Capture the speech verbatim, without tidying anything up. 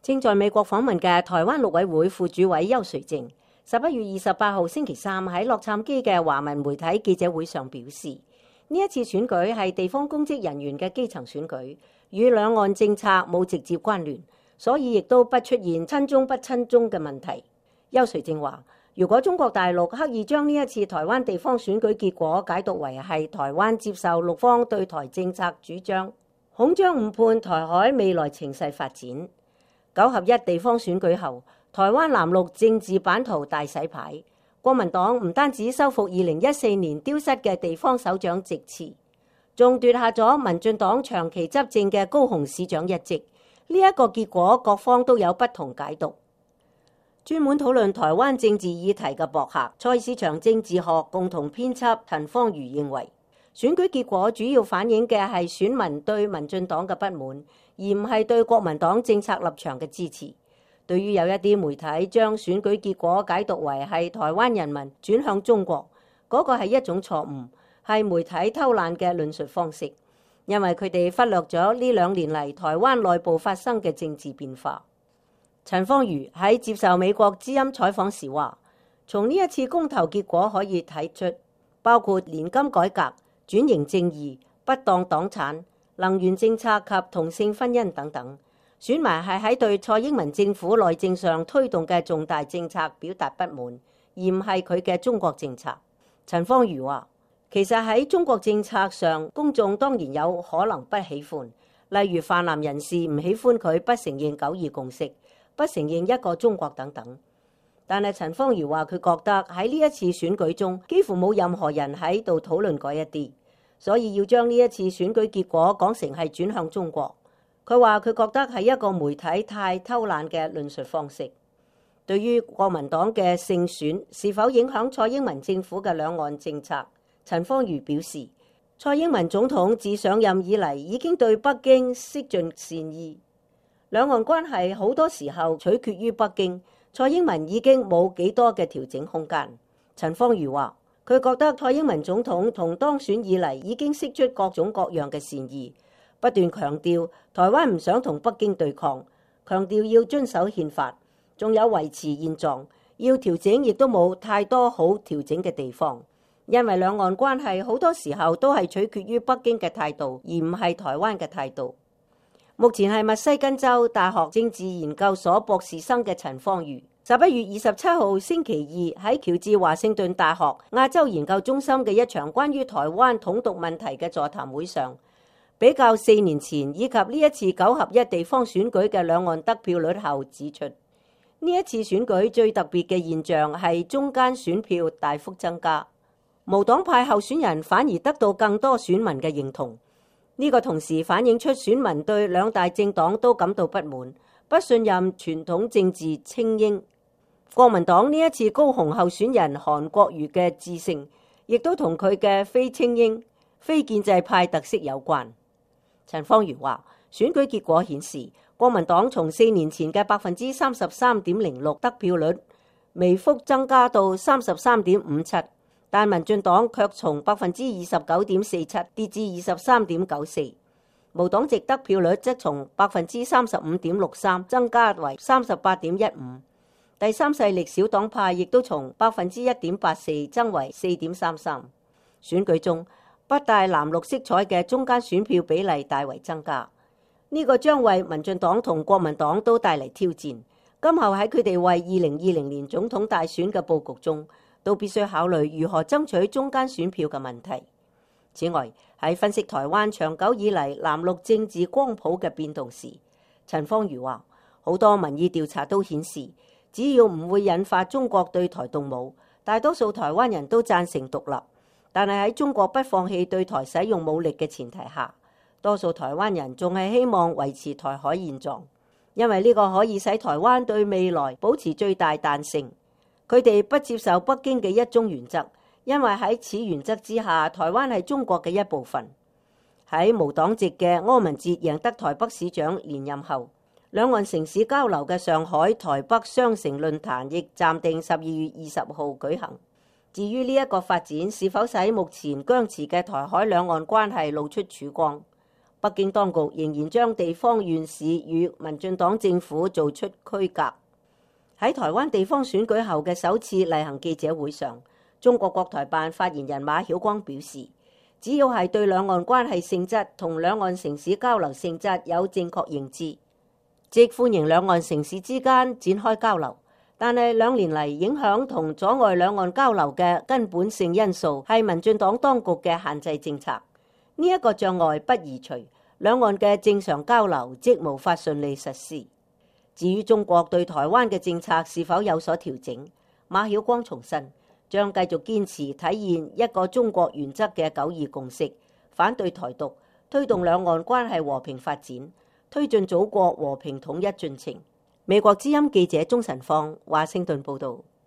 正在美國訪問嘅台灣陸委會副主委邱垂正，十一月二十八號星期三喺洛杉磯嘅華文媒體記者會上表示，呢一次選舉係地方公職人員嘅基層選舉，與兩岸政策冇直接關聯，所以亦都不出現親中不親中嘅問題。邱垂正話，如果中國大陸刻意將呢一次台灣地方選舉結果解讀為係台灣接受陸方對台政策主張，恐將誤判台海未來情勢發展。九合一地方選舉後，台灣藍綠政治版圖大洗牌，國民黨唔單止收復二零一四年丟失嘅地方首長席次，仲奪下咗民進黨長期執政嘅高雄市長一職。呢一個結果，各方都有不同解讀。專門討論台灣政治議題嘅博客蔡市場政治學共同編輯陳芳瑜認為，選舉結果主要反映嘅係選民對民進黨嘅不滿，而唔係對國民黨政策立場嘅支持。對於有一啲媒體將選舉結果解讀為係台灣人民轉向中國，嗰個係一種錯誤，係媒體偷懶嘅論述方式，因為佢哋忽略咗呢兩年嚟台灣內部發生嘅政治變化。陳芳瑜喺接受美國之音採訪時話，從呢一次公投結果可以睇出，包括年金改革、轉型正義、不當黨產、能源政策及同性婚姻等等，選民係喺對蔡英文政府內政上推動嘅重大政策表達不滿，而唔係佢嘅中國政策。陳芳瑜話，其實喺中國政策上，公眾當然有可能不喜歡，例如泛藍人士唔喜歡佢不承認九二共識、不承認一個中國等等。但係陳芳瑜話，佢覺得喺呢一次選舉中，幾乎冇任何人喺度討論嗰一啲，所以要將呢一次選舉結果講成係轉向中國。佢話佢覺得係一個媒體太偷懶嘅論述方式。對於國民黨嘅勝選是否影響蔡英文政府嘅兩岸政策，陳芳瑜表示，蔡英文總統自上任以嚟已經對北京釋盡善意，兩岸關係好多時候取決於北京，蔡英文已經冇幾多嘅調整空間。陳芳瑜話，佢覺得蔡英文總統從當選以嚟已經釋出各種各樣嘅善意，不斷強調台灣唔想同北京對抗，強調要遵守憲法，仲有維持現狀，要調整亦都冇太多好調整嘅地方，因為兩岸關係好多時候都係取決於北京嘅態度，而唔係台灣嘅態度。目前係密西根州大學政治研究所博士生嘅陳芳瑜，十一月二十七號星期二喺喬治華盛頓大學亞洲研究中心嘅一場關於台灣統獨問題嘅座談會上，比較四年前以及呢一次九合一地方選舉嘅兩岸得票率後指出，呢一次選舉最特別嘅現象係中間選票大幅增加，無黨派候選人反而得到更多選民嘅認同。呢個同時反映出選民對兩大政黨都感到不滿，不信任傳統政治精英。國民黨呢一次高雄候選人韓國瑜嘅致勝，亦都同佢嘅非精英、非建制派特色有關。陳芳瑜話，選舉結果顯示，國民黨從四年前嘅百分之三十三點零六得票率，微幅增加到三十三點五七。但民進黨卻從百分之二十九點四七跌至二十三點九四，無黨籍得票率則從百分之三十五點六三增加為三十八點一五，第三勢力小黨派亦都從百分之一點八四增為四點三三。選舉中不帶藍綠色彩嘅中間選票比例大為增加，呢、這個將為民進黨同國民黨都帶嚟挑戰。今後喺佢哋為二零二零年總統大選嘅佈局中，都必須考慮如何爭取中間選票嘅問題。此外，喺分析台灣長久以嚟藍綠政治光譜嘅變動時，陳芳瑜話，好多民意調查都顯示，只要唔會引發中國對台動武，大多數台灣人都贊成獨立。但係喺中國不放棄對台使用武力嘅前提下，多數台灣人仲係希望維持台海現狀，因為呢個可以使台灣對未來保持最大彈性。佢哋不接受北京嘅一中原則，因為喺此原則之下，台灣係中國嘅一部分。喺無黨籍嘅柯文哲贏得台北市長連任後，兩岸城市交流嘅上海、台北雙城論壇亦暫定十二月二十號舉行。至於呢一個發展是否使目前僵持嘅台海兩岸關係露出曙光，北京當局仍然將地方縣市與民進黨政府做出區隔。喺台灣地方選舉後嘅首次例行記者會上，中國國台辦發言人馬曉光表示，只要係對兩岸關係性質同兩岸城市交流性質有正確認知，即歡迎兩岸城市之間展開交流。但係兩年嚟影響同阻礙兩岸交流嘅根本性因素係民進黨當局嘅限制政策。呢一個障礙不移除，兩岸嘅正常交流即無法順利實施。至於中國對台灣嘅政策是否有所調整，馬曉光重申將繼續堅持體現一個中國原則嘅九二共識，反對台獨，推動兩岸關係和平發展，推進祖國和平統一進程。美國之音記者鍾晨芳華盛頓報道。